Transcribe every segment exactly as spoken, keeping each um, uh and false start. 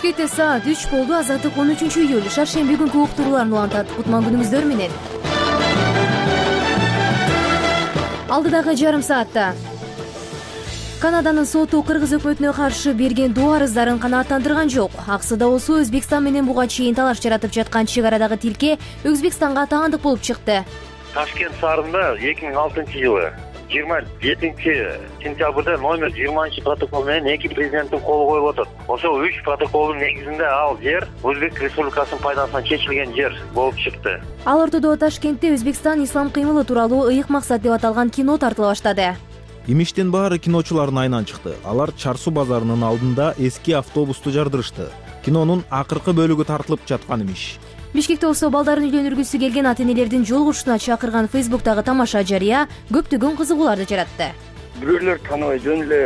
Бишкекте саат үч болду. Азаттык он үчүнчү июль шаршемби күнкү уктурууларын улантат. Кутман күнүңүздөр менен. Алдыдагы жарым саатта Канаданын соту кыргыз өкмөтүнө каршы берген доо арыздарын канааттандырган жок. Аксыда болсо Өзбекстан менен буга чейин талаш жаратып жаткан чек арадагы тилке Өзбекстанга таандык болуп чыкты. Ташкент шаарында эки миң алтынчы жылы жыйырма жетинчи сентябрда номер жыйырманчы протокол менен эки президенттин колу коюлуп атат. Ошол үч протоколдун негизинде ал жер Өзбек Республикасынын пайдасына чечилген жер болуп чыкты. Ал ортодо Ташкентте Өзбекстан ислам кыймылы тууралуу ыйык максат деп аталган кино тартыла баштады. Имиштин баары киночулардын айынан чыкты. Алар Чар суу базарынын алдында эски автобусту жардырышты. Кинонун акыркы бөлүгү тартылып жаткан имиш. Бишкекте болсо балдарын үйлөнүргүсү келген ата-энелердин жолугушууна чакырган Фейсбуктагы тамаша жарыя көптөгөн кызыгууларды жаратты. Бирөөлөр тааныбай жөн эле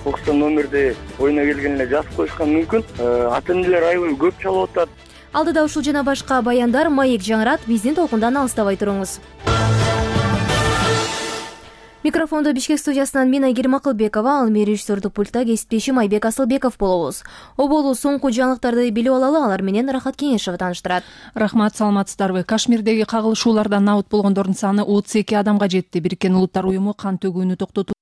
окустан номерди оюна келген эле жазып коюшкан мүмкүн. Ата-энелер аябай көп чалып атат. Алдыда ушул жана башка баяндар маек жаңырат. Биздин толкундан алыстабай туруңуз. Микрофондо Бишкек студиясынан мен Айгерим Акылбекова, ал мери режиссердук пультта кесиптешим Айбек Асылбеков болобуз. Оболу соңку жаңылыктарды билип алалы, алар менен Рахат Кеңешева тааныштырат. Рахмат, саламатсыздарбы? Кашмирдеги кагылышуулардан набыт болгондордун саны отуз эки адамга жетти. Бириккен Улуттар уюму кан төгүүнү токтотуу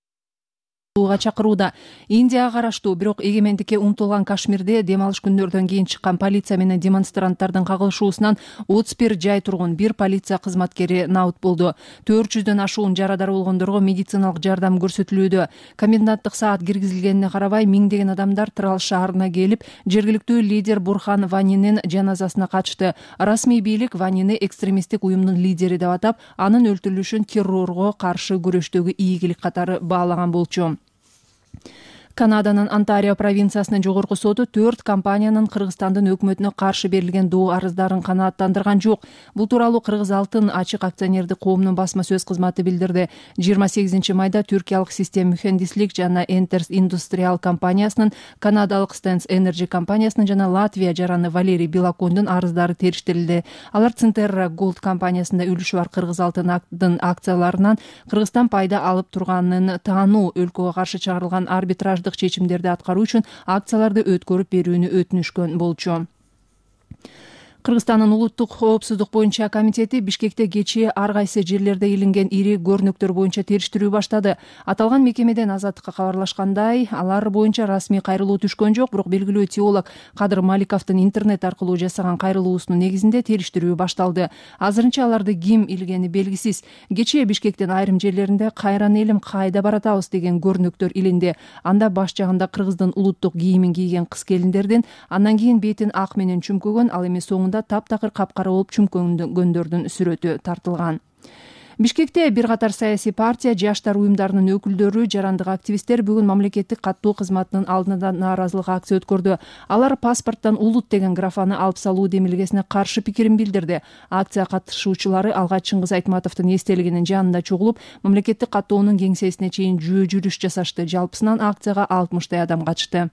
чакырууда. Индияга караштуу, бирок эгемендикке умтулган Кашмирде дем алыш күндөрдөн кийин чыккан полиция менен демонстранттардын кагылышуусунан отуз бир жай тургун, бир полиция кызматкери набыт болду. төрт жүздөн ашуун жарадар болгондорго медициналык жардам көрсөтүлүүдө. Коменданттык саат киргизилгенине карабай, миңдеген адамдар Трал шаарына келип, жергиликтүү лидер Бурхан Ванинин жаназасына катышты. Расмий бийлик Ванини экстремисттик уюмдун лидери деп атап, анын өлтүрүлүшүн террорго каршы күрөштөгү ийгилик катары баалаган болчу. Канаданын Онтарио провинциясынын жогорку соту төрт компаниянын Кыргызстандын өкмөтүнө каршы берилген доо арыздарын канааттандырган жок. Бул тууралуу Кыргыз алтын ачык акционердик коомунун басма сөз кызматы билдирди. жыйырма сегизинчи майда түркиялык Систем Mühendislik жана Enters Industrial компаниясынын, канадалык Stens Energy компаниясынын жана Латвия жараны Валерий Билакондун арыздары териштирилди. Алар Центерра Gold компаниясында үлүшү бар Кыргыз алтындын акцияларынан Кыргызстан пайда алып турганын таануу, өлкөгө каршы чыгарылган арбитраждык чечимдерди аткаруу үчүн акцияларды өткөрүп берүүнү өтүнүшкөн болчу. Кыргызстандын улуттук коопсуздук боюнча комитети Бишкекте кечээ ар кайсы жерлерде илинген ири көрнөктөр боюнча териштирүү баштады. Аталган мекемеден Азаттыкка кабарлашкандай, алар боюнча расмий кайрылуу түшкөн жок, бирок белгилүү теолог Кадыр Маликовдун интернет аркылуу жасаган кайрылуусунун негизинде териштирүү башталды. Азырынча аларды ким илгени белгисиз. Кечээ Бишкектин айрым жерлеринде кайран элим кайда баратабыз деген көрнөктөр илинди. Анда баш жагында Кыргыздын улуттук кийимин кийген кыз келиндердин, андан кийин бетин ак менен чүмкөгөн, ал эми соңунда таптакыр капкара болуп чүмкөнгөндөрдүн сүрөтү тартылган. Бишкекте бир катар саясий партия, жаштар уюмдарынын өкүлдөрү, жарандык активисттер бүгүн мамлекеттик каттоо кызматынын алдында нааразылык акция өткөрдү. Алар паспорттон улут деген графаны алып салуу демилгесине каршы пикирин билдирди. Акция катышуучулары алгач Чыңгыз Айтматовдун эстелигинин жанында чогулуп, мамлекеттик каттоонун кеңсесине чейин жөө жүрүш жасашты. Жалпысынан акцияга алтымыштай адам катышты.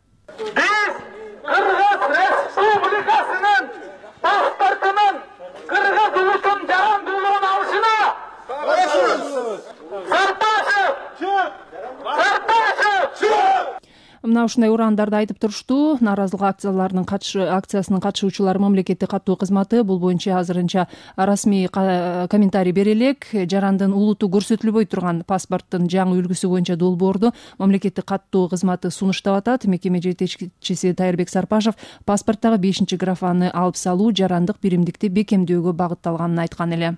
Кыргыз улутун жарандуулугун алышына Мына ушундай урандарды айтып турушту. Нааразылык акцияларынын акциясынын катышуучулары мамлекеттик каттоо кызматы бул боюнча азырынча расмий комментарий бере элек. Жарандын улуту көрсөтүлбөй турган паспорттун жаңы үлгүсү боюнча долбоорду мамлекеттик каттоо кызматы сунуштап атат. Мекеме жетекчиси Тайырбек Сарпашев паспорттагы бешинчи графаны алып салуу жарандык биримдикти бекемдөөгө багытталганын айткан эле.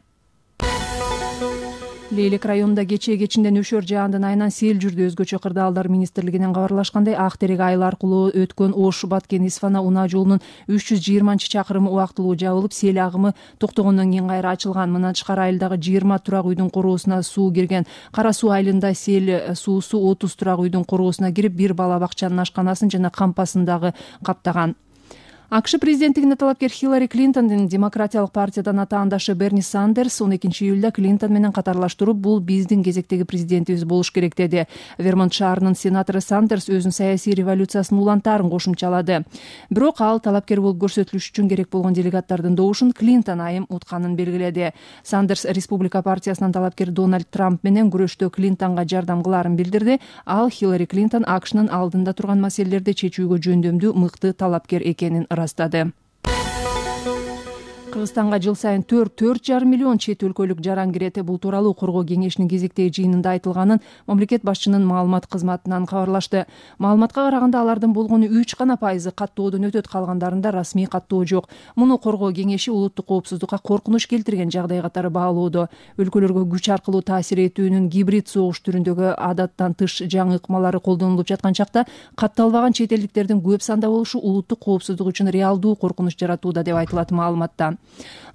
Лейлек районунда кечээ кечинден өшөр жаандын айынан сел жүрдү. Өзгөчө кырдаалдар министрлигинен кабарлашкандай, Ак терек айыл аркылуу өткөн Ош Баткен Исфана унаа жолунун үч жүз жыйырманчы чакырымы убактылуу жабылып, сел агымы токтогондон кийин кайра ачылган. Мындан тышкары айылдагы жыйырма турак үйдүн короосуна суу кирген. Кара суу айылында сел суусу отуз турак үйдүн короосуна кирип, бир бала бакчанын ашканасын жана кампасын дагы каптаган. АКШ президенттигине талапкер Хиллари Клинтондун Демократиялык партиядан атаандашы Берни Сандерс он экинчи июлда Клинтон менен катарлаштырып, бул биздин кезектеги президентибиз болуш керек деди. Вермонт шаарынын сенатору Сандерс өзүнүн саясий революциясынын улантаарын кошумчалады. Бирок ал талапкер болуп көрсөтүлүш үчүн керек болгон делегаттардын добушун Клинтон айым утканын белгиледи. Сандерс Республика партиясынан талапкер Дональд Трамп менен күрөштө Клинтонго жардам кылаарын билдирди. Ал Хиллари Клинтон АКШнын алдында турган маселелерди чечүүгө жөндөмдүү мыкты талапкер экенин ырастады. Кыргызстанга жыл сайын төрт төрт жарым миллион чет өлкөлүк жаран кирет. Бул тууралуу Коргоо кеңешинин кезектеги жыйынында айтылганын мамлекет башчынын маалымат кызматынан кабарлашты. Маалыматка караганда алардын болгону үч гана пайызы каттоодон өтөт, калгандарында расмий каттоо жок. Муну Коргоо кеңеши улуттук коопсуздукка коркунуч келтирген жагдай катары баалоодо. Өлкөлөргө күч аркылуу таасир этүүнүн гибрид согуш түрүндөгү адаттан тыш жаңы ыкмалары колдонулуп жаткан чакта катталбаган чет элдиктердин көп санда болушу улуттук коопсуздук үчүн реалдуу коркунуч жаратууда деп айтылат маалыматта.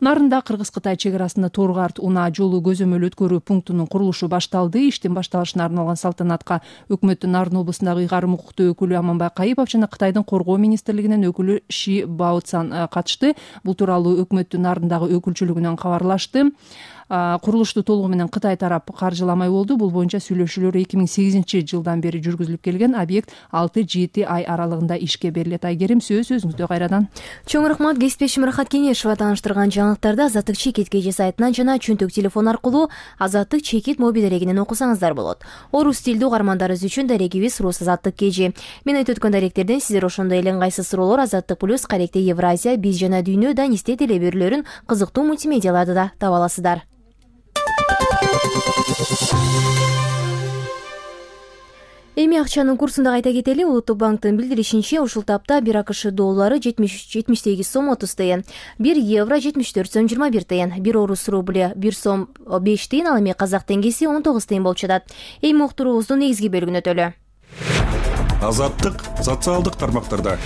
Нарында Кыргыз-Кытай чек арасында Торгарт унаа жолу көзөмөл өткөрүү пунктунун курулушу башталды. Иштин башталышына арналган салтанатка өкмөттүн Нарын облусундагы ыйгарым укуктуу өкүлү Аманбай Кайыпов жана Кытайдын Коргоо министрлигинин өкүлү Ши Баоцан катышты. Бул тууралуу өкмөттүн Нарындагы өкүлчүлүгүнөн кабарлашты. Курулушту толугу менен Кытай тарап каржыламай болду. Бул боюнча сүйлөшүүлөр эки миң сегизинчи жылдан бери жүргүзүлүп келген. Объект алты жети ай аралыгында ишке берилет. Айгерим, сөз өзүңүздө кайрадан. Чоң рахмат. Кесиптешим Рахат Кенешова тааныштырган жаңылыктарды Азаттык Чекит кежи сайтынан жана чөнтөк телефон аркылуу Азаттык Чекит мобил дарегинен окусаңыздар болот. Орус тилдүү угармандарыбыз үчүн дарегибиз Рус Азаттык кежи. Мен айтып өткөн даректерден сиздер ошондой эле ыңгайсыз суроолор Азаттык плюс, Каректе Евразия, Биз жана Дүйнө, Данисте теле берүүлөрүн, кызыктуу мультимедиаларды да таба аласыздар. Эми акчанын курсун да кайта кетели. Улуттук банктын билдиришинче, ушул тапта бир АКШ доллары жетимиш сегиз сом отуз тыйын, бир евро жетимиш төрт сом жыйырма бир тыйын, бир орус рубли бир сом беш тыйын, ал эми казак теңгеси он тогуз тыйын болуп жатат. Эми уктуруубуздун негизги бөлүгүнө өтөлү. Азаттык социалдык тармактарда.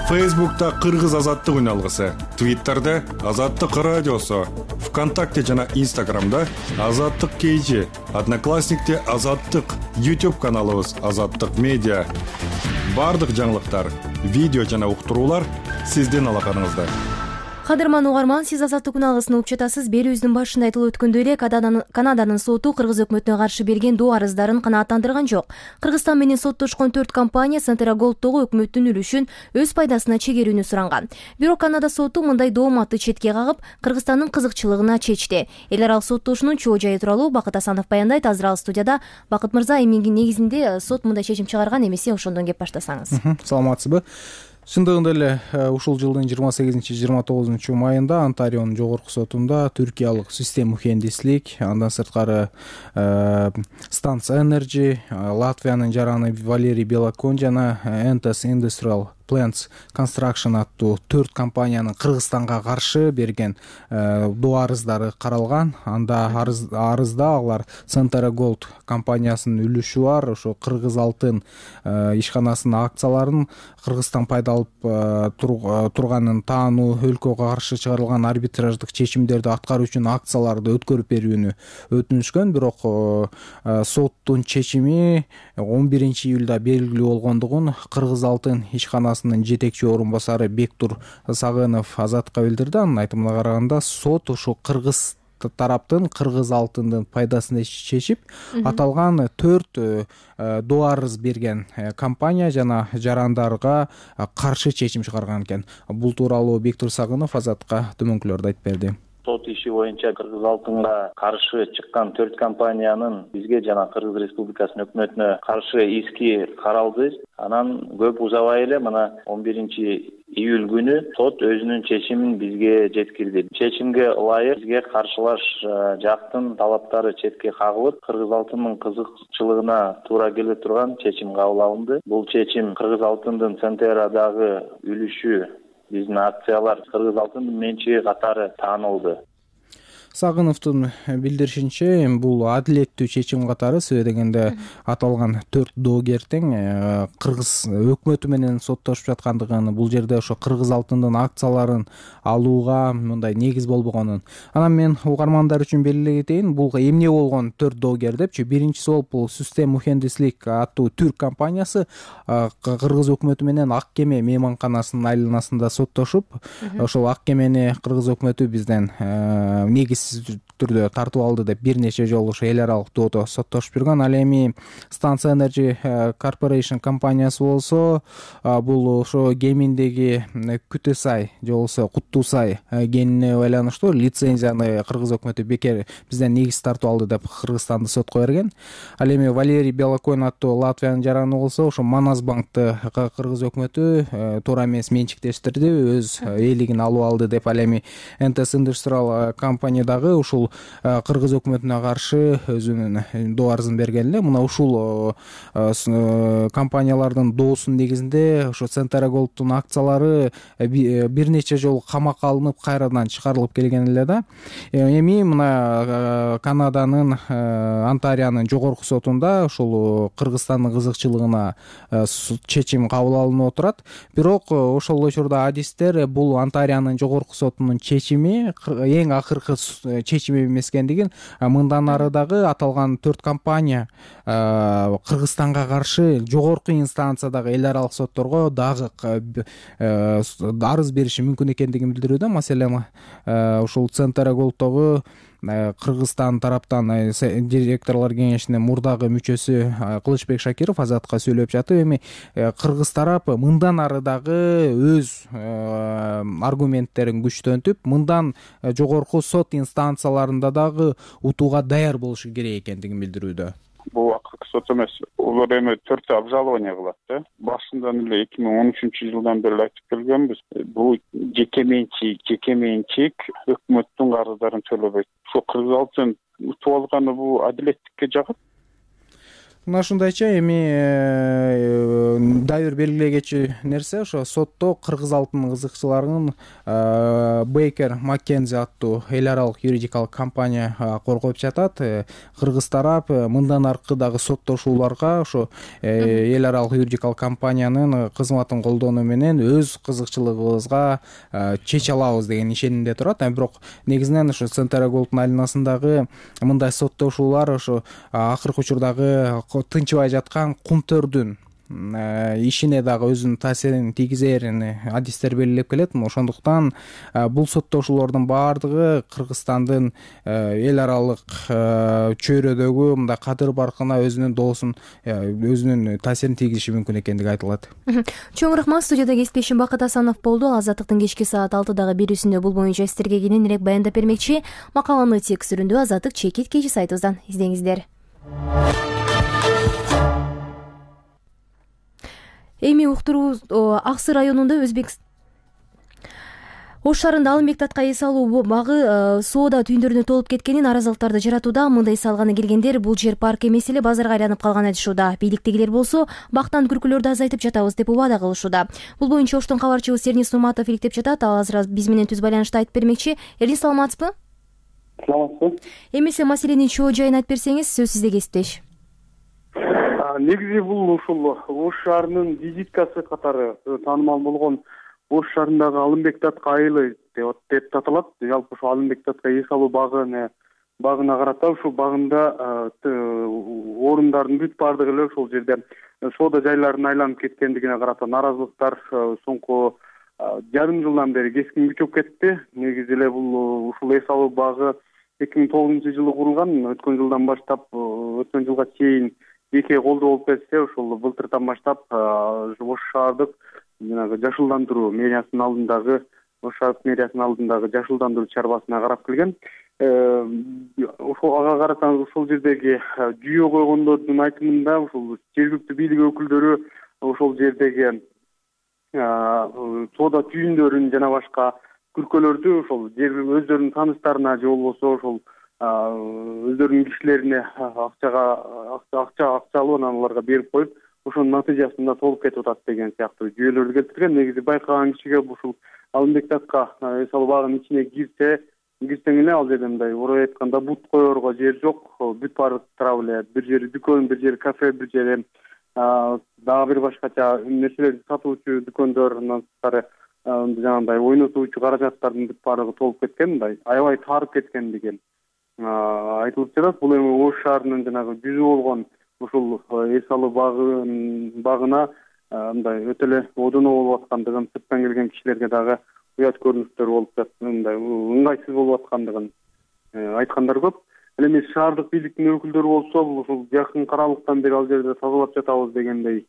Фейсбукта Кыргыз азаттык үналгысы, Твиттерде Азаттык радиосу, ВКонтакте жана Инстаграмда Азаттык кежи, Одноклассникте Азаттык, YouTube каналыбыз Азаттык медиа. Бардык жаңылыктар, видео жана уктуруулар сиздин алаканыңызда. Кадырман угарман, сиз Азаттык үналгысын угуп жатасыз. Берүүбүздүн башында айтылып өткөндөй эле, Канаданын соту Кыргыз өкмөтүнө каршы берген доо арыздарын канааттандырган жок. Кыргызстан менен соттошкон төрт компания Сантера Голдтогу өкмөттүн үлүшүн өз пайдасына чегерүүнү суранган. Бирок Канада соту мындай дооматты четке кагып, Кыргызстандын кызыкчылыгына чечти. Эл аралык соттошуунун чоо жайы тууралуу Бакыт Асанов баяндайт. Азыр ал студияда. Бакыт мырза, эмнеге негизинде сот мындай чечим чыгарган, эмесе ошондон кеп баштасаңыз. Саламатсызбы? Чындыгында эле ушул жылдын жыйырма сегизинчи жыйырма тогузунчу майында Онтарионун жогорку сотунда түркиялык систем мухендислик, андан сырткары Станция Energy, Латвиянын жараны Валерий Белокон жана Entes Industrial Plants Construction аттуу төрт компаниянын Кыргызстанга каршы берген доо арыздары каралган. Анда арызда алар Сантера Голд компаниясынын үлүшү бар, ошо Кыргыз алтын ишканасынын акцияларын Кыргызстан пайдалып турганын таануу, өлкөгө каршы чыгарылган арбитраждык чечимдерди аткаруу үчүн акцияларды өткөрүп берүүнү өтүнүшкөн. Бирок соттун чечими он биринчи июлда белгилүү болгондугун Кыргыз алтын ишканасынын жетекчи орун басары Бектур Сагынов Азатка билдирди. Анын айтымына караганда, сот ушу Кыргыз тараптын Кыргыз алтындын пайдасына чечип, аталган төрт доо арыз берген компания жана жарандарга каршы чечим чыгарган экен. Бул тууралуу Бектур Сагынов Азатка төмөнкүлөрдү айтып берди. Сот иши боюнча Кыргыз алтынга каршы чыккан төрт компаниянын бизге жана Кыргыз Республикасынын өкмөтүнө каршы иски каралды. Анан көп узабай эле мына он биринчи июль күнү сот өзүнүн чечимин бизге жеткирди. Чечимге ылайык бизге каршылаш жактын талаптары четке кагылып, Кыргыз алтынынын кызыкчылыгына туура келе турган чечим кабыл алынды. Бул чечим Кыргыз алтындын Центерадагы үлүшү, биздин акциялар Кыргыз алтынын менчиги катары таанылды. Сагыновдун билдиришинче бул адилеттүү чечим катары себеби дегенде аталган төрт доогер тең кыргыз өкмөтү менен соттошуп жаткандыгын, бул жерде ошо кыргыз алтындын акцияларын алууга мындай негиз болбогонун. Анан мен угармандар үчүн белгилей кетейин, бул эмне болгон төрт доогер депчи. Биринчиси болуп бул Систем Мухендислик аттуу түрк компаниясы кыргыз өкмөтү менен Ак кеме мейманканасынын айланасында соттошуп, ошол Ак кемени кыргыз өкмөтү бизден негиз түрдө тартып алды деп бир нече жолу ошо эл аралык доодо соттошуп жүргөн. Ал эми Станция Energy Corporation компаниясы болсо бул ошо Кеминдеги Күтө сай же болбосо Куттуу сай кенине байланыштуу лицензияны кыргыз өкмөтү бекер бизден негиз тартып алды деп Кыргызстанды сотко берген. Ал эми Валерий Белокоин аттуу Латвиянын жараны болсо ошо Манас банкты кыргыз өкмөтү туура эмес менчиктештирди, өз ээлигин алып алды деп. Ал эми эн тэ эс Industrial компания дагы ушул кыргыз өкмөтүнө каршы өзүнүн доо арызын берген эле. Мына ушул компаниялардын доосунун негизинде ошо Центра Голдтун акциялары бир нече жолу камакка алынып, кайрадан чыгарылып келген эле да. Эми мына Канаданын Онтарионун жогорку сотунда ушул Кыргызстандын кызыкчылыгына чечим кабыл алынып отурат. Бирок ошол учурда адистер бул Онтарионун жогорку сотунун чечими эң акыркы чечим эмес экендигин, мындан ары дагы аталган төрт компания Кыргызстанга каршы жогорку инстанциядагы эл аралык сотторго дагы арыз бериши мүмкүн экендигин билдирүүдө. Маселен, ушул Центра Голдтогу Кыргызстан тараптан директорлор кеңешинин мурдагы мүчөсү Кылычбек Шакиров Азатка сүйлөп жатып, эми кыргыз тарап мындан ары дагы өз аргументтерин күчтөнтүп, мындан жогорку сот инстанцияларында дагы утууга даяр болушу керек экендигин билдирүүдө. Бул акыркы сот эмес, улар эми төртөө обжалование кылат да. Башынан эле эки миң он үчүнчү жылдан бери айтып келгенбиз. Бул жеке менчик, жеке менчик өкмөттүн карыздарын төлөбөйт. Ошо кыргыз алтын утуп алганы бул адилеттикке жагат. Мына ушундайча эми дайыр белгилегечи нерсе ошо сотто кыргыз алтын кызыкчыларынын Бейкер Маккензи аттуу эл аралык юридикалык компания коргоп жатат. Кыргыз тарап мындан аркы дагы соттошууларга ошо эл аралык юридикалык компаниянын кызматын колдонуу менен өз кызыкчылыгыбызга чече алабыз деген ишенимде турат. Бирок негизинен ошо Центра Голдтун айланасындагы мындай соттошуулар ошо акыркы учурдагы тынчыбай жаткан кумтөрдүн ишине дагы өзүнүн таасирин тийгизерин адистер белгилеп келет. Ошондуктан бул соттошуулордун баардыгы Кыргызстандын эл аралык чөйрөдөгү мындай кадыр баркына өзүнүн доосун, өзүнүн таасирин тийгизиши мүмкүн экендиги айтылат. Чоң рахмат. Студияда кесиптешим Бакыт Асанов болду. Азаттыктын кечки саат алтыдагы берүүсүндө бул боюнча сиздерге кененирээк баяндап бермекчи. Макаланы текстүрүндө Азаттык чекит кечи сайтыбыздан издеңиздер. Эми уктуруу Аксы районунда Өзбек Ош шаарында Алымбек татка эс алуу багы соода түйүндөрүнө толуп кеткенин, наразылыктарды жаратууда. Мындай эс алганы келгендер бул жер парк эмес эле базарга айланып калган айтышууда. Бийликтегилер болсо бактан күркүлөрдү азайтып жатабыз деп убада кылышууда. Бул боюнча Оштон кабарчыбыз Эрнис Нурматов иликтеп жатат. Ал азыр биз менен түз байланышта айтып бермекчи. Эрнис, саламатсызбы? Саламатсызбы. Эмесе маселенин чоо жайын айтып берсеңиз, сөз сизде кесиптеш. Негизи бул ушул Ош шаарынын визиткасы катары таанымал болгон Ош шаарындагы Алымбек татка айылы деп аталат. Жалпы ушул Алымбек татка эс алуу багына багына карата ушул багында орундардын бүт баардыгы эле ошол жерде соода жайларын айланып кеткендигине карата наразылыктар соңку жарым жылдан бери кескин күчөп кетти. Негизи эле бул ушул эс алуу багы эки миң тогузунчу жылы курулган. Өткөн жылдан баштап, өткөн жылга чейин эки колдоо болуп келсе, ошол былтыртан баштап Ош шаардык жанагы жашылдандыруу мэриясынын алдындагы Ош шаардык мэриясынын алдындагы жашылдандыруу чарбасына карап келген. Ошол ага карата ошол жердеги жүйө койгондордун айтымында ушул жергиликтүү бийлик өкүлдөрү ошол жердеги соода түйүндөрүн жана башка күркөлөрдү ошол өздөрүнүн тааныстарына же болбосо ошол өздөрүнүн кишилерине акчага акча акча алып анан аларга берип коюп, ошонун натыйжасында толуп кетип атат деген сыяктуу жүйөлөрдү келтирген. Негизи байкаган кишиге ушул Алымбек татка эс алуу багынын ичине кирсе, кирсең эле ал жерде мындай орой айтканда бут коерго жер жок, бүт баары тарап эле. Бир жери дүкөн, бир жери кафе, бир жери дагы бир башкача нерселерди сатуучу дүкөндөр, андан тышкары жанагындай ойнотуучу каражаттардын бүт баардыгы толуп кеткен, мындай аябай таарып кеткендиги айтылып жатат. Бул эми Ош шаарынын жанагы жүзү болгон ушул эс алуу багына мындай өтө эле одоно болуп аткандыгын, сырттан келген кишилерге дагы уят көрүнүштөр болуп жатат, мындай ыңгайсыз болуп аткандыгын айткандар көп. Ал эми шаардык бийликтин өкүлдөрү болсо, бул ушул жакын каралыктан бери ал жерде тазалап жатабыз дегендей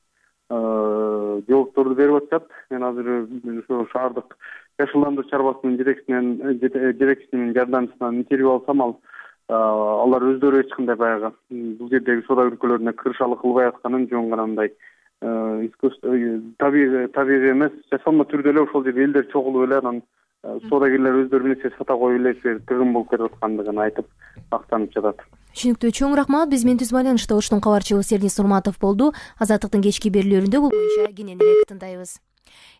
жоопторду берип атышат. Мен азыр ошо шаардык жашылдандыруу чарбасынын жетекчисинен жетекчисинин жардамчысынан интервью алсам, ал алар өздөрү эч кандай баягы бул жердеги соода өлкөлөрүнө кырышалык кылбай атканын, жөн гана мындай табигый табигый эмес, жасалма түрдө эле ошол жерде элдер чогулуп эле анан соодагерлер өздөрү нерсе сата коюп эле тыгын болуп кетип аткандыгын айтып актанып жатат. Түшүнүктүү. Чоң рахмат. Биз менен түз байланышта Оштун кабарчыбыз Эрнис Урматов болду. Азаттыктын кечки берүүлөрүндө бул боюнча кенен эле тыңдайбыз.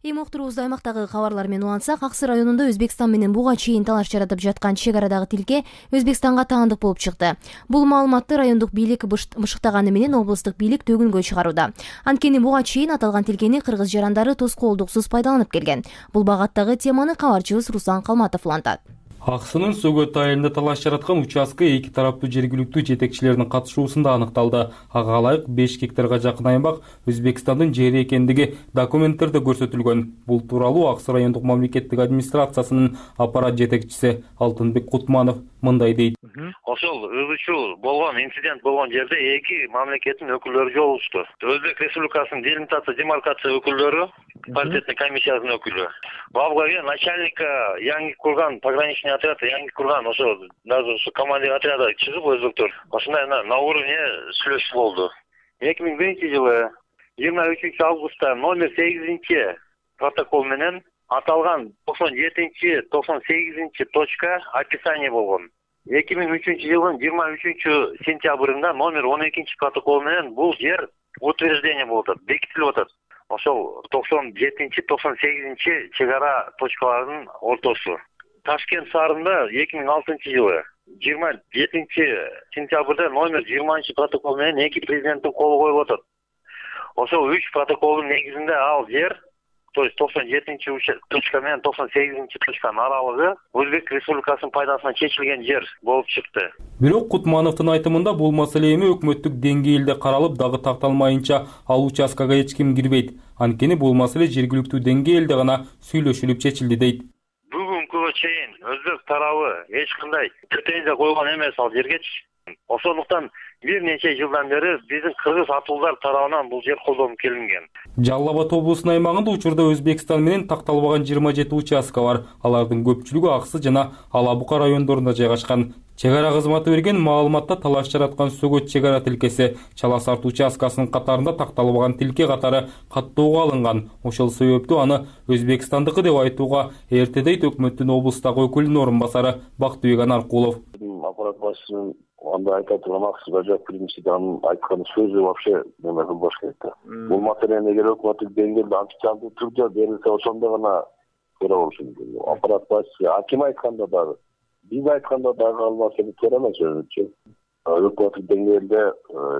Эми уктуруубузду аймактагы кабарлар менен улантсак, Аксы районунда Өзбекстан менен буга чейин талаш жаратып жаткан чек арадагы тилке Өзбекстанга таандык болуп чыкты. Бул маалыматты райондук бийлик бышыктаганы менен облустук бийлик төгүнгө чыгарууда. Анткени буга чейин аталган тилкени кыргыз жарандары тоскоолдуксуз пайдаланып келген. Бул багаттагы теманы кабарчыбыз Руслан Калматов улантат. Аксынын Сөгөт айылында талаш жараткан участка эки тараптуу жергиликтүү жетекчилердин катышуусунда аныкталды. Ага ылайык беш гектарга жакын аймак Өзбекстандын жери экендиги документтерде көрсөтүлгөн. Бул тууралуу Аксы райондук мамлекеттик администрациясынын аппарат жетекчиси Алтынбек Кутманов мындай дейт. Ошол ызычуу болгон инцидент болгон жерде эки мамлекеттин өкүлдөрү жолугушту. Өзбек Республикасынын делимитация демаркация өкүлдөрү, паритетный комиссиянын өкүлү. Бабгага начальника жаңы курган пограничный отряд, жаңы курган ошо даже ошо командир отряда чыгып өзбектөр ошондой на уровне сүйлөшүү болду. эки миң биринчи жылы жыйырма үчүнчү августта номер сегизинчи протокол менен аталган токсон жетинчи токсон сегизинчи точка описание болгон. эки миң үчүнчү жылдын жыйырма үчүнчү сентябрында номер он экинчи протокол менен бул жер утверждение болуп атат, бекитилип атат. Ошол токсон жетинчи токсон сегизинчи чек ара точкаларынын ортосу. Ташкент шаарында эки миң алтынчы жылы жыйырма жетинчи сентябрда номер жыйырманчы протокол менен эки президенттин колу коюлуп атат. Ошол үч протоколдун негизинде ал жер, то есть токсон жетинчи точка менен токсон сегизинчи точканын аралыгы Өзбек Республикасынын пайдасына чечилген жер болуп чыкты. Бирок Кутмановдун айтымында бул маселе эми өкмөттүк деңгээлде каралып дагы такталмайынча ал участкага эч ким кирбейт. Анткени бул маселе жергиликтүү деңгээлде гана сүйлөшүлүп чечилди дейт. Бүгүнкүгө чейин өзбек тарабы эч кандай претензия койгон эмес ал жергечи. Ошондуктан бир нече жылдан бери биздин кыргыз атуулдар тарабынан бул жер колдонуп келинген. Жалал Абад облусунун аймагында учурда Өзбекстан менен такталбаган жыйырма жети участка бар. Алардын көпчүлүгү Аксы жана Ала Бука райондорунда жайгашкан. Чек ара кызматы берген маалыматта талаш жараткан Сөгөт чек ара тилкеси Чала Сарт участкасынын катарында такталбаган тилке катары каттоого алынган. Ошол себептүү аны Өзбекстандыкы деп айтууга эрте дейт өкмөттүн облустагы өкүлүнүн орун басары Бактыбек Анаркулов. Аппарат башчысынын анда айта турган Аксыга жооп принципи анын айткан сөзү вообще неме кылбаш керек да. Бул маселени эгер өкмөттүк деңгээлде официалдуу түрдө берилсе, ошондо гана көрө болушу мүмкүн. Аппарат башчысы аким айтканда дагы, биз айтканда дагы ал маселе туура эмес өзүнчө. Өкмөттүк деңгээлде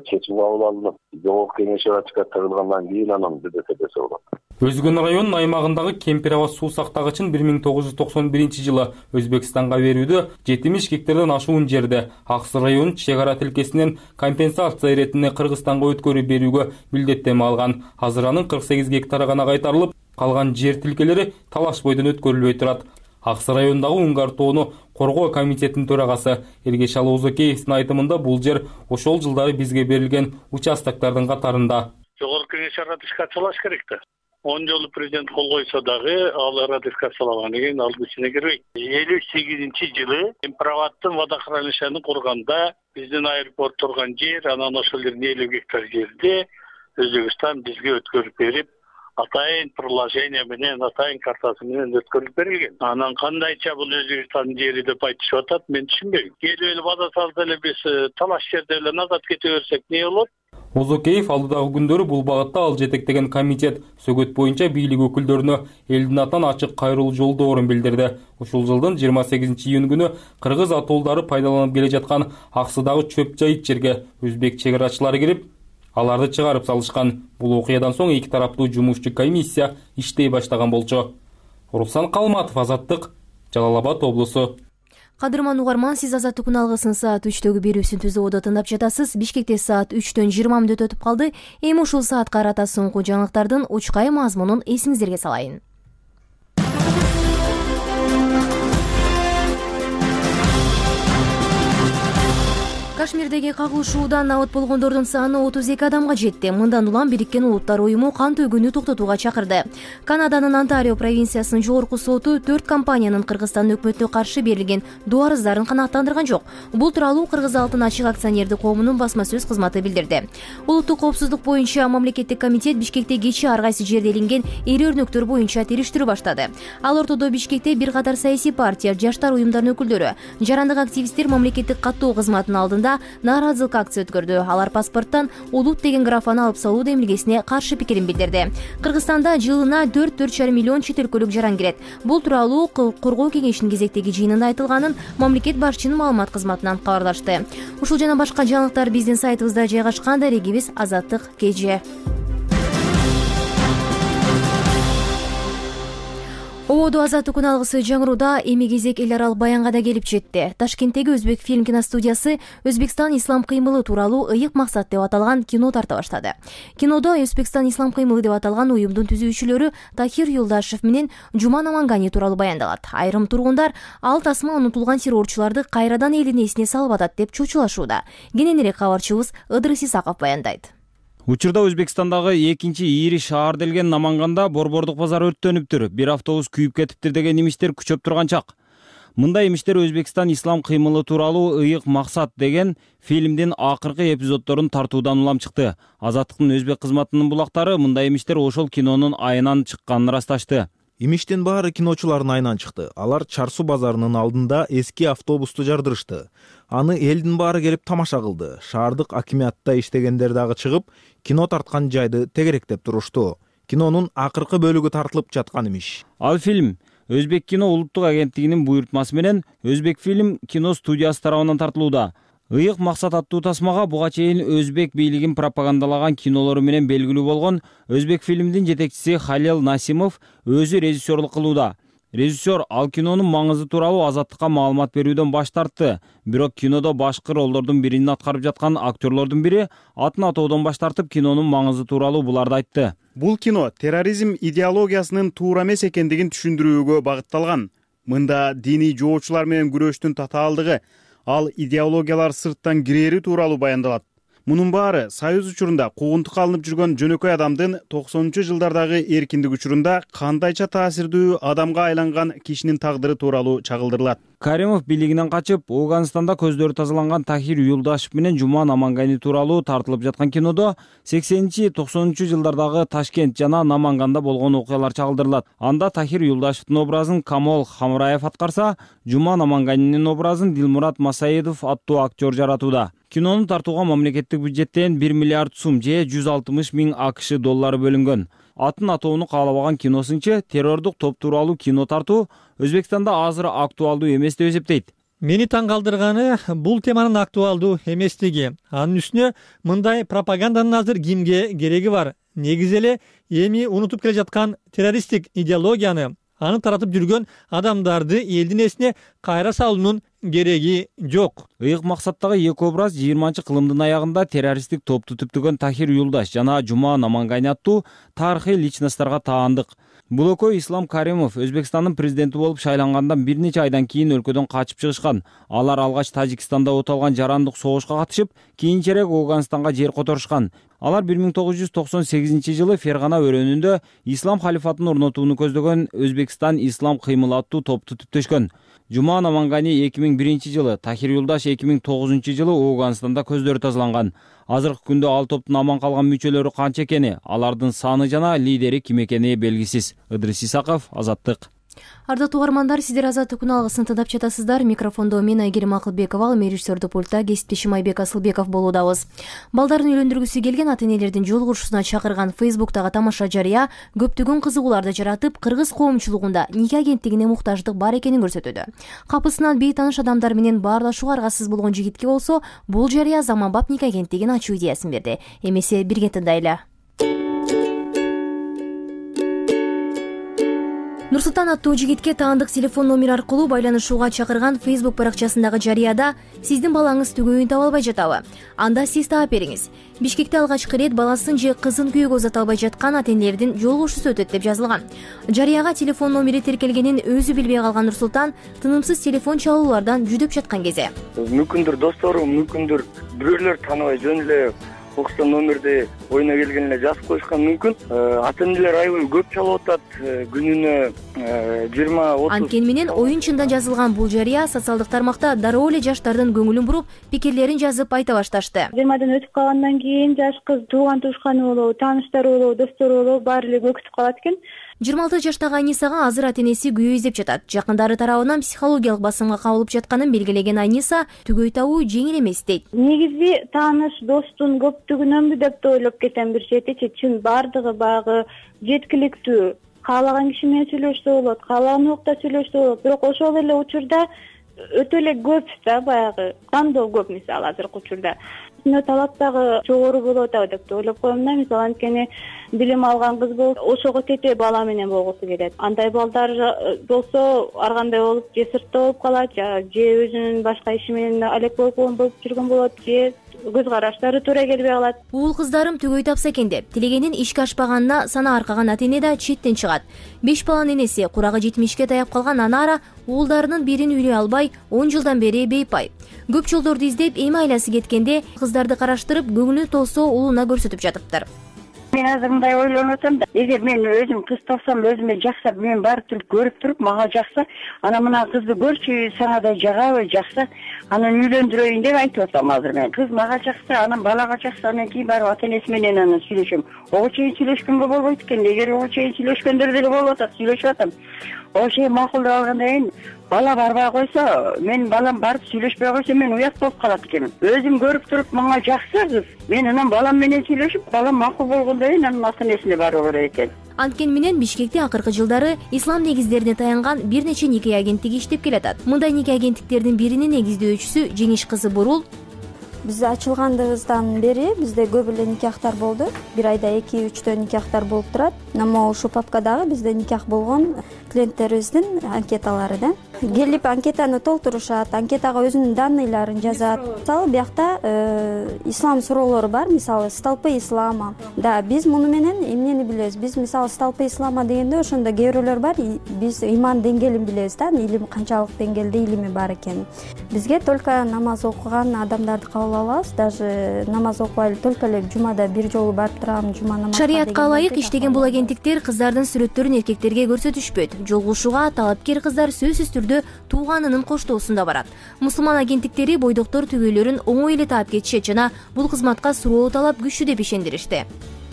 чечим кабыл алынып, жогорку кеңешке ратификациялангандан кийин анан бирдесе десе болот. Өзгөн районунун аймагындагы Кемпирабад суу сактагычын бир миң тогуз жүз токсон биринчи жылы Өзбекстанга берүүдө жетимиш гектардан ашуун жерде Аксы районунун чек ара тилкесинен компенсация иретинде Кыргызстанга өткөрүп берүүгө милдеттенме алган. Азыр анын кырк сегиз гектары гана кайтарылып, калган жер тилкелери талаш бойдон өткөрүлбөй турат. Аксы районундагы Уңгар тоону коргоо комитетинин төрагасы Эргеш Алоозакеевдин айтымында бул жер ошол жылдары бизге берилген участоктардын катарында. Жогорку кеңеш ратификациялаш керек да. он жолу президент кол койсо дагы ал ратификациялангандан кийин ал күчүнө кирбейт. элүү сегизинчи жылы Кемпирабадтын водохранилищени курганда биздин аэропорт турган жер, анан ошол жердин элүү гектар жерде Өзбекстан бизге өткөрүп берип, атайын приложение менен, атайын картасы менен өткөрүп берилген. Анан кандайча бул Өзбекстандын жери деп айтышып атат, мен түшүнбөйм. Келип эле база салып эле биз талаш жерде эле назат кете берсек не болот? Мозокеев алдыдагы күндөрү бул багытта ал жетектеген комитет сөгөт боюнча бийлик өкүлдөрүнө элдин атынан ачык кайрылуу жолдоорун билдирди. Ушул жылдын жыйырма сегизинчи июнь күнү кыргыз атолдары пайдаланып келе жаткан аксыдагы чөп жайыт жерге өзбек чек арачылары кирип, аларды чыгарып салышкан. Бул окуядан соң эки тараптуу жумушчу комиссия иштей баштаган болчу. Руслан Калматов, Азаттык, Жалал Абад облусу. Кадырман угарман, сиз Азаттык күн алгысын саат үчтөгү берүүсүн түзүп ода тыңдап жатасыз. Бишкекте саат үчтөн жыйырма мүнөт өтүп калды. Эми ушул саатка карата соңку жаңылыктардын учкай мазмунун эсиңиздерге салайын. Кашмирдеги кагылышуудан абат болгондордун саны отуз эки адамга жетти. Мындан улам Бириккен Улуттар уюму кан төгүүнү токтотууга чакырды. Канаданын Онтарио провинциясынын жогорку соту төрт компаниянын Кыргызстан өкмөтүнө каршы берилген доо арыздарын канааттандырган жок. Бул тууралуу Кыргыз Алтын ачык акционердик коомунун басма сөз кызматы билдирди. Улуттук коопсуздук боюнча мамлекеттик комитет Бишкекте кечээ ар кайсы жерде илинген эри өрнөктөр боюнча териштирүү баштады. Ал ортодо Бишкекте бир катар саясий партия, жаштар уюмдарынын өкүлдөрү, жарандык активисттер мамлекеттик каттоо кызматынын алдында нааразылык акция өткөрдү. Алар паспорттон улут деген графаны алып салуу демилгесине каршы пикирин билдирди. Кыргызстанда жылына төрт төрт жарым миллион чет өлкөлүк жаран кирет. Бул тууралуу коргоо кеңешинин кезектеги жыйынында айтылганын мамлекет башчынын маалымат кызматынан кабарлашты. Ушул жана башка жаңылыктар биздин сайтыбызда жайгашкан. Дарегибиз Азаттык кж. Ободо Азаттык күн алгысы жаңырууда эми кезек эл аралык баянга да келип жетти. Ташкенттеги Өзбек фильм киностудиясы Өзбекстан ислам кыймылы тууралуу ыйык максат деп аталган кино тарта баштады. Кинодо Өзбекстан ислам кыймылы деп аталган уюмдун түзүүчүлөрү Тахир Юлдашев менен Жума Намангани тууралуу баяндалат. Айрым тургундар ал тасма унутулган террорчуларды кайрадан элдин эсине салып атат деп чочулашууда. Кененирээк кабарчыбыз Ыдрыс Исаков баяндайт. Учурда Өзбекстандагы экинчи ири шаар делген Наманганда борбордук базар өрттөнүптүр. Бир автобус күйүп кетиптир деген имиштер күчөп турган чак. Мындай имиштер Өзбекстан ислам кыймылы тууралуу ыйык максат деген фильмдин акыркы эпизоддорун тартуудан улам чыкты. Азаттыктын өзбек кызматынын булактары мындай имиштер ошол кинонун айынан чыкканын ырасташты. Имиштин баары киночулардын айынан чыкты. Алар Чарсу базарынын алдында эски автобусту жардырышты. Аны элдин баары келип тамаша кылды. Шаардык акимиатта иштегендер дагы чыгып, кино тарткан жайды тегеректеп турушту. Кинонун акыркы бөлүгү тартылып жаткан имиш. Ал фильм Өзбек кино улуттук агенттигинин буйртмасы менен Өзбек фильм кино студиясы тарабынан тартылууда. Ыйык максат аттуу тасмага буга чейин өзбек бийлигин пропагандалаган кинолору менен белгилүү болгон Өзбек фильмдин жетекчиси Халил Насимов өзү режиссерлук кылууда. Режиссер ал кинонун маңызы тууралуу Азаттыкка маалымат берүүдөн баш тартты. Бирок кинодо башкы ролдордун бирин аткарып жаткан актерлордун бири атын атоодон баш тартып, кинонун маңызы тууралуу буларды айтты. Бул кино терроризм идеологиясынын туура эмес экендигин түшүндүрүүгө багытталган. Мында диний жоочулар менен күрөштүн татаалдыгы, ал идеологиялар сырттан кирери тууралуу баяндалат. Мунун баары Союз учурунда куугунтукка алынып жүргөн жөнөкөй адамдын токсонунчу жылдардагы эркиндик учурунда кандайча таасирдүү адамга айланган кишинин тагдыры тууралуу чагылдырылат. Каримов бийлигинен качып, Ооганстанда көздөрү тазаланган Тахир Юлдашев менен Жума Намангани тууралуу тартылып жаткан кинодо сексенинчи токсонунчу жылдардагы Ташкент жана Наманганда болгон окуялар чагылдырылат. Анда Тахир Юлдашевдин образын Камол Хамраев аткарса, Жума Наманганинин образын Дилмурат Масаидов аттуу актер жаратууда. Кинону тартууга мамлекеттик бюджеттен бир миллиард сум же жүз алтымыш миң акш доллары бөлүнгөн. Атын атоону каалабаган киносынчы террордук топ тууралуу кино тартуу Өзбекстанда азыр актуалдуу эмес деп эсептейт. Мени таң калтырганы бул теманын актуалдуу эместиги. Анын үстүнө мындай пропаганданын азыр кимге кереги бар? Негизи эле эми унутуп келе жаткан террористтик идеологияны, аны таратып жүргөн адамдарды элдин эсине кайра салуунун кереги жок. Ыйык максаттагы эки образ жыйырманчы кылымдын аягында террористтик топту түптөгөн Тахир Юлдаш жана Жума Намангани аттуу тарыхый личностторго таандык. Бул экөө Ислам Каримов Өзбекстандын президенти болуп шайлангандан бир нече айдан кийин өлкөдөн качып чыгышкан. Алар алгач Тажикстанда оталган жарандык согушка катышып, кийинчерээк Ооганстанга жер которушкан. Алар бир миң тогуз жүз токсон сегизинчи жылы Фергана өрөөнүндө ислам халифатын орнотууну көздөгөн Өзбекстан ислам кыймылы аттуу топту түптөшкөн. Жума Намангани эки миң биринчи жылы, Тахир Юлдаш эки миң тогузунчу жылы Ооганстанда көздөрү тазаланган. Азыркы күндө ал топтун аман калган мүчөлөрү канча экени, алардын саны жана лидери ким экени белгисиз. Ыдрыс Исаков, Азаттык. Ардактуу угармандар, сиздер Азаттык күн алгысын тыңдап жатасыздар. Микрофондо мен Айгерим Акылбекова, ал режиссердүү пультта кесиптешим Айбек Асылбеков болуудабыз. Балдарын үйлөндүргүсү келген ата энелердин жолугушуусуна чакырган Фейсбуктагы тамаша жарыя көптөгөн кызыгууларды жаратып, кыргыз коомчулугунда нике агенттигине муктаждык бар экенин көрсөтүүдө. Капысынан бейтааныш адамдар менен баарлашууга аргасыз болгон жигитке болсо, бул жарыя заманбап нике агенттигин ачуу идеясын берди. Эмесе бирге тыңдайлы. Нурсултан аттуу жигитке таандык телефон номер аркылуу байланышууга чакырган Facebook баракчасындагы жарыяда сиздин балаңыз түгөйүн таба албай жатабы? Анда сиз таап бериңиз. Бишкекте алгачкы ирет баласын же кызын күйөөгө узата албай жаткан ата энелердин жолугушуусу өтөт деп жазылган. Жарыяга телефон номери тиркелгенин өзү билбей калган Нурсултан тынымсыз телефон чалуулардан жүдөп жаткан кезде мүмкүндүр досторум, мүмкүндүр бирөөлөр тааныбай жөн эле окустан номерди оюна келген эле жазып коюшкан мүмкүн. Ата энелер аябай көп чалып атат, күнүнө жыйырма отуз. Анткени менен оюн чындан жазылган бул жарыя социалдык тармакта дароо эле жаштардын көңүлүн буруп, пикирлерин жазып айта башташты. жыйырмадан өтүп калгандан кийин жаш кыз тууган туушканы болобу, тааныштары болобу, достору болобу баары эле көкүтүп калат экен. жыйырма алты жаштагы Айнисага азыр ата энеси күйөө издеп жатат. Жакындары тарабынан психологиялык басымга кабылып жатканын белгилеген Айниса түгөй табуу жеңил эмес дейт. Негизи тааныш достун көптүгүнөнбү деп да ойлоп кетем бир четичи. Чын баардыгы багы жеткиликтүү. Каалаган киши менен сүйлөшсө болот, каалаган убакта сүйлөшсө болот. Бирок ошол эле учурда өтө эле көп да баягы тандоо көп, мисалы азыркы учурда. Талап дагы жогору болуп атабы деп ойлоп коем да. Мисалы анткени билим алган кыз болсо ошого тете бала менен болгусу келет. Андай балдар болсо ар кандай болуп же сыртта болуп калат, же өзүнүн башка иши менен алек болуп болуп жүргөн болот, же көз караштары туура келбей калат. Уул кыздарым түгөй тапса экен деп тилегенин ишке ашпаганына сана аркаган ата эне да четтен чыгат. Беш баланын энеси курагы жетимишке таяп калган Анара уулдарынын бирин үйлөй албай он жылдан бери бейпай. Көп жолдорду издеп эми айласы кеткенде кыздарды караштырып көңүлү толсо уулуна көрсөтүп жатыптыр. Мен азыр мындай ойлонуп атам да, эгер мен өзүм кыз тапсам, өзүмө жакса, мен баары түрүп көрүп туруп, мага жакса, ана мына кызды көрчү, сага да жагабы, жакса, анан үйлөндүрөйүн деп айтып атам азыр мен. Кыз мага жакса, анан балага жакса, анан кийин барып ата энеси менен анан сүйлөшөм. Ого чейин сүйлөшкөнгө болбойт экен. Эгер ого чейин сүйлөшкөндөр деле болуп атат, сүйлөшүп атам. Ошо чейин макул деп алгандан кийин бала барбай койсо, мен балам барып сүйлөшпөй койсо, мен уят болуп калат экенмин. Өзүм көрүп туруп, мага жакса кыз, мен анан балам менен сүйлөшүп, балам макул болгондон кийин анан ата энесине баруу керек экен. Анткени менен Бишкекте акыркы жылдары ислам негиздерине таянган бир нече нике агенттиги иштеп келатат. Мындай нике агенттиктердин биринин негиздөөчүсү Жеңиш кызы Бурул. Биз ачылгандыбыздан бери бизде көп эле никахтар болду. Бир айда эки үчтө никахтар болуп турат. Могу ушул папкадагы бизде никах болгон клиенттерибиздин анкеталары да. Келип анкетаны толтурушат, анкетага өзүнүн данныйларын жазат. Мисалы биякта ислам суроолору бар, мисалы столпы ислама. Да, биз муну менен эмнени билебиз? Биз мисалы столпы ислама дегенде ошондо кээ бирөөлөр бар, биз иман деңгээлин билебиз да, илим канчалык деңгээлде илими бар экенин. Бизге только намаз окуган адамдарды кабыл алабыз, даже намаз окубай эле только эле жумада бир жолу барып турам, жума намазга. Шариятка ылайык иштеген бул агенттиктер кыздардын сүрөттөрүн эркектерге көрсөтүшпөйт. Жолугушууга талапкер кыздар сөзсүз түрдө тууганынын коштоосунда барат. Мусулман агенттиктери бойдоктор түгөйлөрүн оңой эле таап кетишет жана бул кызматка суроо талап күчтүү деп ишендиришти.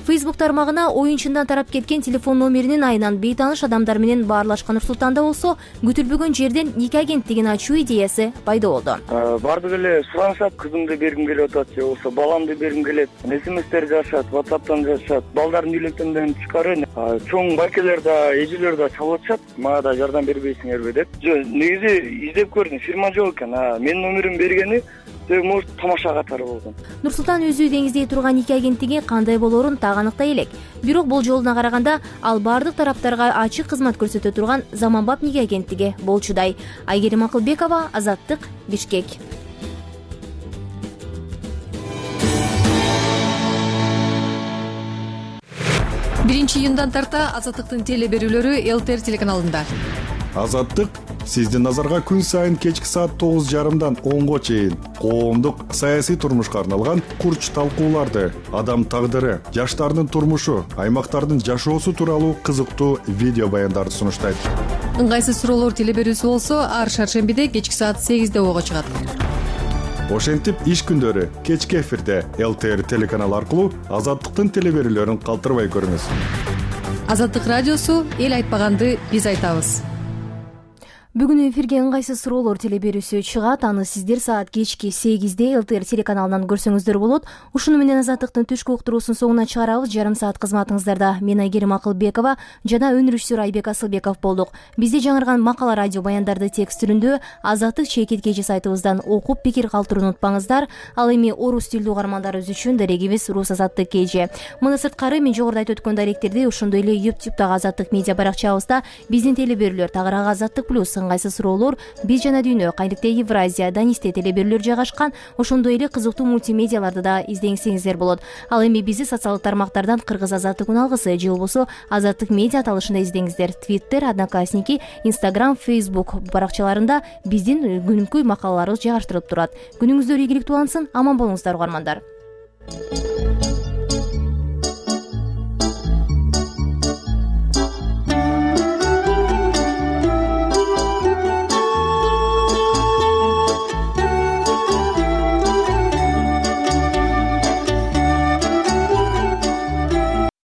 Facebook тармагына оюн чындан тарап кеткен телефон номеринин айынан бейтааныш адамдар менен баарлашкан Нурсултанда болсо, күтүлбөгөн жерден нике агенттигин ачуу идеясы пайда болду. Бардык эле суранышат, кызымды бергим келип атат же болбосо баламды бергим келет. смстер жазышат, WhatsApp'тан жазышат. Балдардын үйлөнгөндөн тышкары чоң байкелер да, эжелер да чалып атышат. Мага да жардам бербейсиңерби деп. Жок, негизи издеп көрдүм, фирма жок экен. Менин номерим бергени может тамаша катары болгон. Нурсултан өзү деңиздей турган нике агенттиги кандай болоорун так аныктай элек. Бирок болжолуна караганда ал бардык тараптарга ачык кызмат көрсөтө турган заманбап нике агенттиги болчудай. Айгерим Акылбекова, Азаттык, Бишкек. биринчи июндан тарта Азаттыктын теле берүүлөрү ЛТР телеканалында. Азаттык сиздин назарга күн сайын кечки саат тогуз жарымдан онго чейин коомдук саясий турмушка арналган курч талкууларды, адам тагдыры, жаштардын турмушу, аймактардын жашоосу тууралуу кызыктуу видео баяндарды сунуштайт. Ыңгайсыз суроолор теле берүүсү болсо ар шаршембиде кечки саат сегизде ого чыгат. Ошентип иш күндөрү кечки эфирде ЛТР телеканалы аркылуу Азаттыктын теле берүүлөрүн калтырбай көрүңүз. Азаттык радиосу эл айтпаганды биз айтабыз. Бүгүн эфирге ыңгайсыз суроолор теле берүүсү чыгат. Аны сиздер саат кечки сегизде эл тэ эр телеканалынан көрсөңүздөр болот. Ушуну менен Азаттыктын түшкү уктуруусун соңуна чыгарабыз. Жарым саат кызматыңыздарда мен Айгерим Акылбекова жана өнөр режиссеру Айбек Асылбеков болдук. Бизде жаңырган макала, радио баяндарды текст түрүндө Азаттык чекит кежи сайтыбыздан окуп пикир калтырууну унутпаңыздар. Ал эми орус тилдүү угармандарыбыз үчүн дарегибиз Рус Азаттык кежи. Мына сырткары мен жогоруда айтып өткөн даректерди ошондой эле ютубтагы Азаттык медиа баракчабызда биздин теле берүүлөр тагыраагы Азаттык плюс, ыңгайсыз суроолор, биз жана дүйнө, кайныкте Евразия, Данисте теле берүүлөр жайгашкан. Ошондой эле кызыктуу мультимедиаларды да издеңсеңиздер болот. Ал эми бизди социалдык тармактардан Кыргыз Азаттык уналгысы же болбосо Азаттык медиа аталышында издеңиздер. Твиттер, Одноклассники, Инстаграм, Фейсбук баракчаларында биздин күнүмкү макалаларыбыз жайгаштырылып турат. Күнүңүздөр ийгиликтүү улансын, аман болуңуздар угармандар.